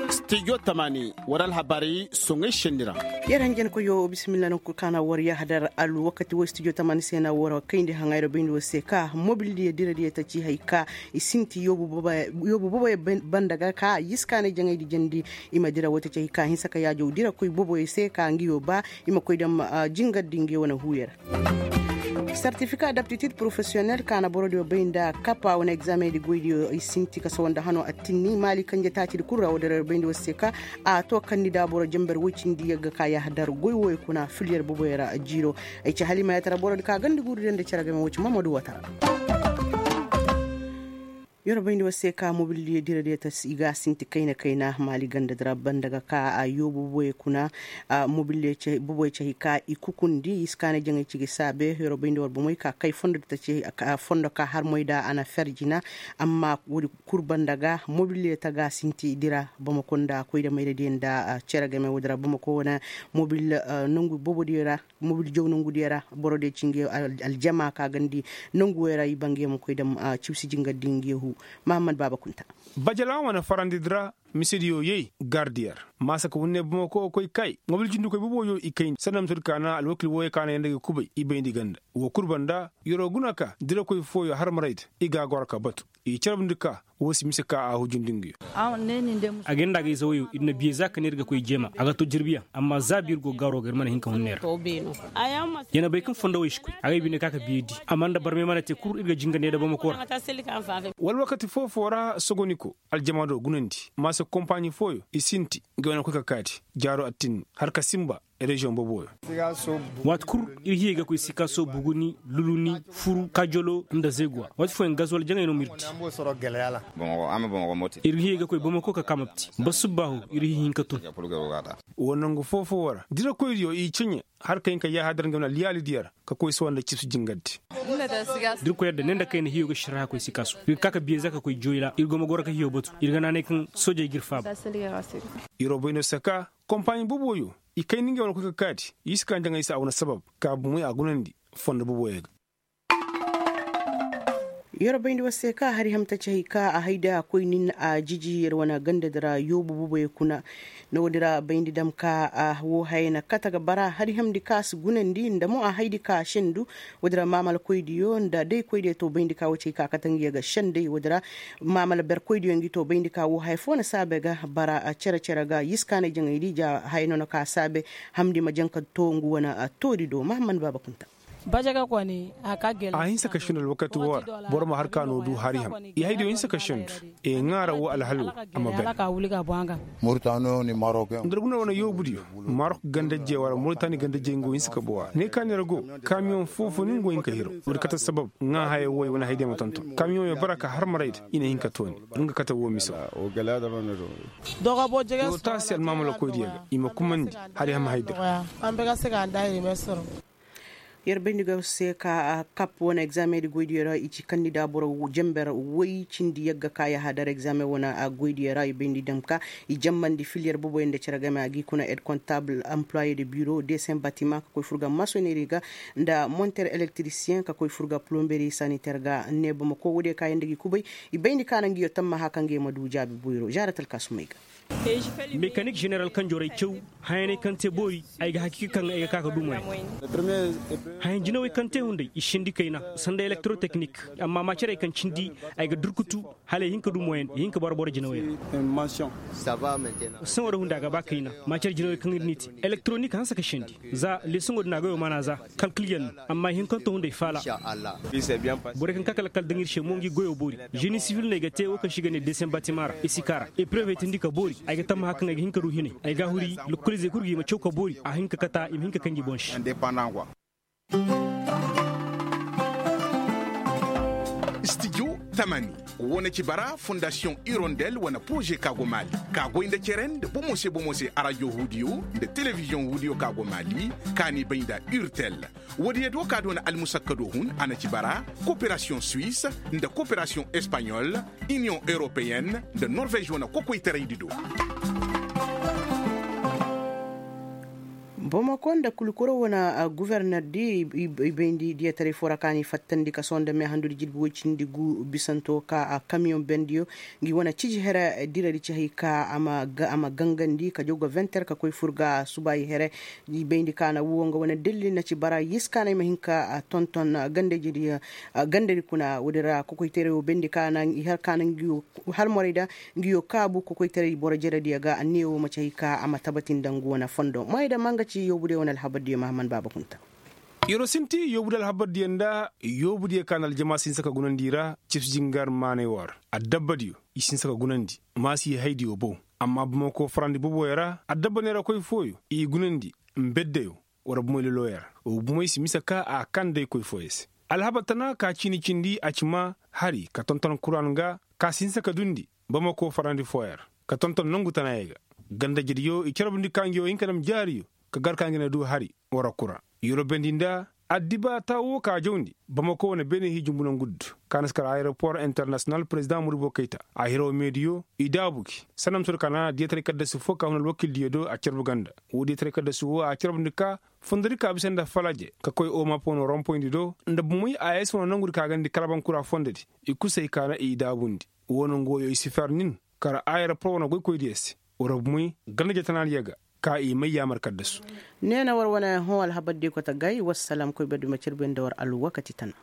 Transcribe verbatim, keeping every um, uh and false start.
Stijo tamani, war alhabaari soŋay senni ra. Yer hanjankoyo bisimilla nangu kul kaŋ a na war yahadar alwakati wo stijo tamani se na war kayndi haŋayro bayndi wo se ka mobildiyo diradiyo ta ci hay ka i sinti yoobu boboyo banda ga ka yiskaanay jaŋaydi jandi. I ma dira wo ta ci hay ka hinsa ka yaajow dira koy boboyo se ka ngiyo ba i ma koy dam jingardi ngiyo wane huuyo ra. Sartifika d'aptitid porofesiyonel ka na borodiyo bay nda kapa wane egzameŋ di goydiyo i sinti ka sawa nda hano attinni maali kanje taacidi kul ra wo dira bayndi wo se ka a to kandi da boro jamber woy cindi yagga ka yahadar goy woy kuna filiyer boboyo ra jiiro. Ay ci halimayatara borodi ka gandi guuri de nda cere game wo ci mamadu watara. Yorobayndi wo se ka mobil diyo dira diyo ta i ga sinti kayna kayna maali ganda dira banda ga ka a yoobu boboyo kuna. Mobil diyo boboyo cahi ka i kukundi i si kaanay jaŋay cigi saabe yorobayndi war bomey ka kay fondo di ta ci. Fondo ka harmoy da a na ferjina amma woodi kul banda ga mobil diyo ta ga sinti dira bamako nda koyda mayra diyo nda cere game woodi ra bamako wane mobil nongu bobo diyo ra. Mobil jaw nongu diyo ra boro diyo ci nga aljama ka gandi nongu wey ra i ba nga yaŋ ma koy dam cibsi jingar di nga yahu. Mahammad baaba kunta. Bajalaŋ wane farandi di ra mise diyo yay gar diyo ra maasa ka wunne bamako koy kay mobil jindikoy boboyo i kayndi sanda mise di ka na alwakil wooyo ka na yaŋ nda ga kubay i bayndi ganda woo kul banda yoro guna ka dirakoy fooyo harmarayda i ga a goro ka batu i carbundi ka woo si mise ka a hujundi nga yo. A ga ir nda a ga ize woyo ir na biye za ka ne ir ga koy jeema a ga to jirbiyaŋ amma za biir go gaaro ga ir mana hin ka hun ne ra. Ya na bay kaŋ fondo woy si koy a ga ay bine ka ka biye di amma nda barmey mana te kul ir ga jinga ne da bamako ra. Wala wakati foo-foo ra sogoniko aljama do gunandi maasa kompaaɲi fooyo i sinti nga wane koy ka kaati jaaro attinni har ka sinba reziyoŋ boboyo. Waati kul ir hiyey ga koy sikaso buguni luluni furu kajolo nda zeguwa waati fooyaŋ gazwal jaŋay no ma ir di. Ir hiyey ga koy bamako ka kaamapti ba subbaahu ir hihi hinka tun. Woo nangu foo-foo ra dirakoy diyo i ceɲe har ka hin ka yaahadar nga wane alyaali diyo ra ka koy sawa nda cibsi jingar di. Da ir koy yadda ne nda kayna hiyo ga sharha koy sikaso ir ga ka ka biye za ka koy joyla ir go ma goro ka hiyo batu ir ga naanay kaŋ soojey ga ir faaba. Iroo bay no saka kompaaɲi boboyo i kayndi ngey wane koy ka kaati i si kaa njaŋay se a wane sabab ka bomey a gunandi fondo boboyo ga. Yorobayndi war se ka hari ham ta ci hay ka a haydi a koy nin a jiji yer wane ganda di ra yoobu boboyo kuna. Noodi ra bayndi dam ka a woo hayey na kate ga bara hari hamndi ka a si gunandi nda mo a haydi ka a sendu. Woodi ra maamalakoydiyo nda daykoydiyo to bayndi ka woo ci hay ka a kate nga yer ga senday woodi ra maamala berkoydiyo ngi to bayndi ka woo haya foo na saabe ga bara cere-cere ga yiskaanay jaŋaydi ja haya no na ka a saabe. Hamndi ma jaŋ ka to ngu wane toodi do mahamman baaba kunta. A hinsa ka sendu alwakati woo ra boro ma har ka no du hari ham i haydiyo hinsa ka sendu. E ŋaara woo alhalo a ma ber. Nda ir guna wane yoobudiyo marok gandajey wala moritani gandajey nga wo hinsa ka bowa ne ka neera go kamiyoŋ foo-foo ni nga wo hin ka hiro woodi kate sabab ŋaa haya wooyo wane haydiyo ma tonton kamiyoŋyo bara ka har marayda i na hin ka tooni. Nga kate woo miso. Woo taasi almaamalakoydiyo ga i ma kumandi hari ham haydi ra. Yer bayndi ga se ka kap wane egzaameŋ di goydiyo ra i ci kandida boro jenber woy cindi yagga ka yahadar egzaameŋ wane goydiyo ra i bayndi dam ka i jambandi filiyer boboyo nda cere game a gi kuna ed kontabl employe de biro desen batimaŋ ka koy fur ga masoneri ga nda monter elektrisiyeŋ ka koy fur ga plomberi saniter ga ne bamako woodiyo ka yaŋ nda gi kubay. I bayndi ka na ngiyo tammaha kaŋ ga i ma du jaabi boyro zaara talkaasumey ga. Mekanik ženeral kanjorey caw hayaney kaŋ te boori ay ga hakiika kaŋ ay ga ka ka du moyen. Hayan jinawey kaŋ te hunday i sindi kayna sanda elektroteknik amma macarey kaŋ cindi ay ga durkutu hala i hin ka du moyen i hin ka bara boro jinawey ra. Saŋo da hunday a ga ba kayna macar jinawey kaŋ ir n'i te elektronik hanse ka sindi za lesoŋo din a goyo mana za kalkilyaŋ no amma i hin kaŋ to hunday faala. Borey kaŋ ka kala kala daŋ ir se mo ngi goyo boori. Ženi sivil no ay ga te wo kaŋ se i ga ne desen batima ra i si kaara eprevey tindi ka boori. Ay ga tammaha kaŋ ay ga hin ka du hinay ay ga a huri lokoliizey kul ga i ma caw ka boori a hin ka kata i ma hin ka kanji boŋ se. Stijo tamani wane ci bara fondasiyoŋ irondel wane poroze ka go maali ka goy nda cere nda bomo se bomo se arajo huudiyo nda telebiziyoŋ huudiyo ka go maali ka n'i bay nda urtel. Woodiyo do ka doona almusakkado hun a na ci bara koperasiyoŋ suwis nda koperasiyoŋ espaɲol iniyoŋ europeyen nda norvez wane kokoytaraydi do. Bamako nda kulkuro wane guverner di i bayndi diyataray foo ra ka ni fattandi ka sohõ nda meehandudi jilbi woy cindi gu bisanto ka kamiyoŋ bendiyo ngi wane ciji here diradi ci hay ka a ma gangandi ka jaw ga venter ka koy fur ga subaayi here. I bayndi ka na woo nga wane dalil na ci bara yis ka na ay ma hin ka tonton gandadi kuna woodi ra kokoytaray wo bayndi ka na i har ka na ngi wo halmoray da ngi yo kaabu kokoytaray boro jerediyo ga anniya wo ma ci hay ka a ma tabati nda ngu wane fondo moyda ma nga ci yoobudiyo wane alhabardiyo mahammad baaba kunta. Yer'o sinti yoobudiyo alhabardiyo nda yoobudiyo ka na aljama si hinsa ka gunandi i ra cibsi jingar maanay wo ra. Addabbadiyo i si hinsa ka gunandi maasi haydiyo bow. Amma bamako farandi boboyo ra addabba neerakoy fooyo i gunandi mbeddeyo. War bumey loloyer wo bumey si mise ka a kan day koy fooyo se. Alhabar tana ka ciini cindi a ci maa hari ka tonton kuran ga ka si hinsa ka dundi bamako farandi fooyer ka tonton nongu tanaayey ga. Ganda jediyo i carbundi ka ngi wo hin ka dam jaariyo ka gar ka ngi na du hari war kura. Yorobendi nda addiba taa wo ka jawndi bamako wane beene hii jumbu nongu ddu ka na si kar ayeropor internasiyonal perezidaŋ muribo kayta a hiraw meediyo i daabu gi sanda ma soodi ka naana diyataray kaddasu foo ka hun alwakildiyo do a carbu ganda. Woo diyataray kaddasu woo a carbundi ka fondodi ka bisa nda falaje ka koy omapo no rompoyndi do nda bumey a yee si wane nongudi ka gandi kalabankura fondodi. I kul si hay ka na i daabundi. Woo nongu wooyo i si fer nin kar ayeropor wane goykoydiyo se. War bumey ganda jatanaadiyo ga ka i may yaamar kaddasu. Neena war wane hõ alhabardiyo kote gay wassalam koy berdi ma carbuyaŋ nda war alwakati tana.